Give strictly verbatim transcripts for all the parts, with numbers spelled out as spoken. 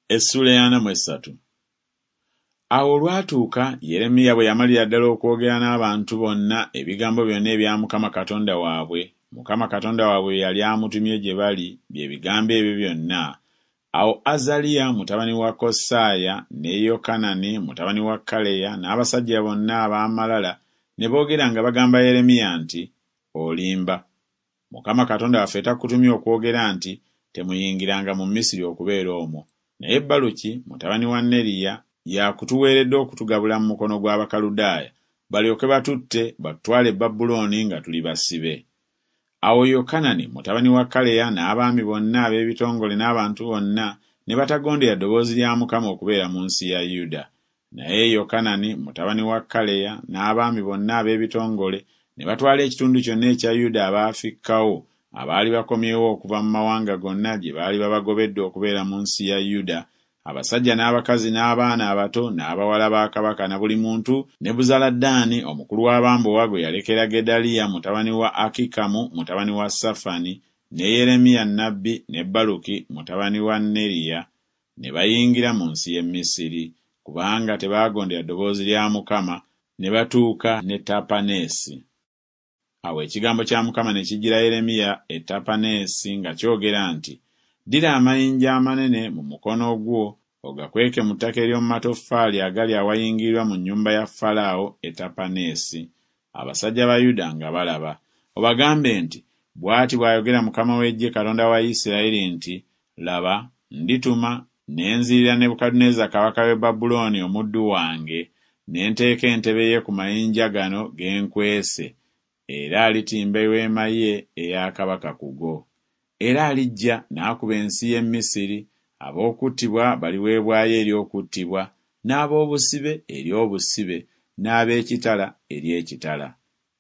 Essuula ey'ana mu essatu. Awo olwatuuka Yeremiya bwe yamalira ddala okwogera n'abantu bonna ebigambo byonna ebya Mukama Katonda waabwe, Mukama Katonda waabwe bye yali amutumye gye bali, bye bigambo ebyo byonna, awo Azaliya mutabani wa Kosaaya ne Yokanani mutabani wa Kaleya n'abasajja bonna ab'amalala ne boogera nga bagamba Yeremiya nti, Olimba. Mukama Katonda waffe takutumye okwogera nti, Temuyingiranga mu Misiri okubeera omwo. Naye Baluki mutabani wa Neriya y'akutuweeredde okutugabula mu mukono gw'Abakaludaaya, balyoke batutte batutwale e Babulooni nga tuli basibe. Awo Yokanani mutabani wa Kaleya n'abaami bonna ab'ebitongole n'abantu bonna ne batagondera ddoboozi lya Mukama okubeera mu nsi ya Yuda. Naye Yokanani mutabani wa Kaleya n'abaami bonna ab'ebitongole ne batwala ekitundu kyonna ekya Yuda abaafikkawo abaali bakomyewo okuva mu mawanga gonna gye baali babagobedde okubeera mu nsi ya Yuda, abasajja n'abakazi n'abaana abato n'abawala ba kabaka na buli muntu Nebuzaladaani omukulu w'abambowa gwe yalekera Gedaliya mutabani wa Akikamu mutabani wa Safani ne Yeremiya nnabbi ne Baluki mutabani wa Neriya ne bayingira mu nsi y'e Misiri, kubanga tebaagondera ddoboozi lya Mukama, ne batuuka ne Tapaneesi. Awo ekigambo kya Mukama ne kijjira Yeremiya e Tapaneesi nga kyogera nti, Ddira amayinja amanene mu mukono gwo ogakweke mu ttaka ery'omu matoffaali agali awayingirirwa mu nnyumba ya Falaawo e Tapaneesi, abasajja ba Yuda nga balaba. Obagambe nti, Bw'ati bw'ayogera Mukama w'eggye Katonda wa Isirayiri nti, Laba, ndituma ne nzirira Nebukadduneeza kabaka w'e Babulooni omuddu wange, ne nteeka entebe ye ku mayinja gano ge nkwese, era alitimba eweema ye eya kabaka ku go. Era alijja n'akuba ensi y'e Misiri, ab'okuttibwa baliweebwayo eri okuttibwa, n'ab'obusibe eri obusibe, n'ab'ekitala eri ekitala.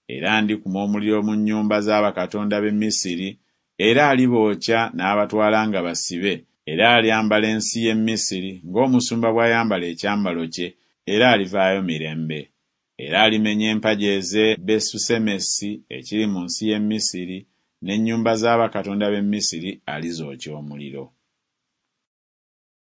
Era ndikuma omuliro mu nnyumba za bakatonda b'e Misiri, era alibookya n'abatwala nga basibe, era alyambala ensi y'e Misiri ng'omusumba bw'ayambala ekyambalo kye, era alivaayo mirembe. Era alimenya empagi ez'e Besusemesi ekiri mu nsi y'e Misiri, n'ennyumba za bakatonda b'e Misiri alizookya omuliro.